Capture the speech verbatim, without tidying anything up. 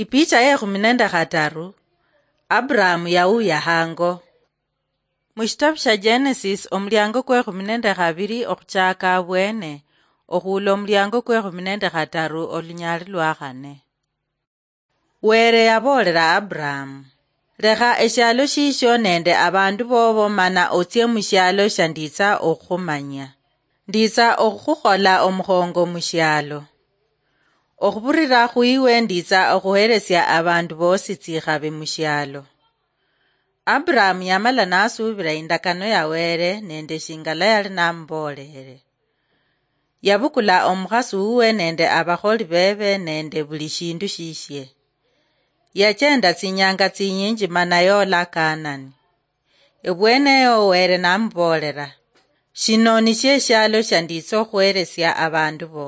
Ipicha yekhumi nende khataru. Abrahamu yawuya hango. Mushitabu sha Genesis, omuliango kwekhumi nende khabiri okhuchaka abwene, okhuula omuliango kwekhumi nende khataru olunyali lwa khane. Were yaboolera Abrahamu, "Lekha eshialo shisho nende abandu bobo mana otsie mushialo sha nditsa okhukhumanya. Nditsa okhukhukhola omukhongo mushialo. Okhubirira khwiwe nditsa okhuheresia abandu bosi tsikhabi mushialo." Abrahamu yamala nasuubira indakano ya Were nende shingala yali namuboolere. Yabukula omukhasi wuwe nende abakholi bebe nende buli shindu shishie. Yachenda tsinyanga tsinyinji mana yola Kanani. Ebweneyo Were namuboolera, "Shino nisho eshialo sha nditsa okhuheresia abandu bo."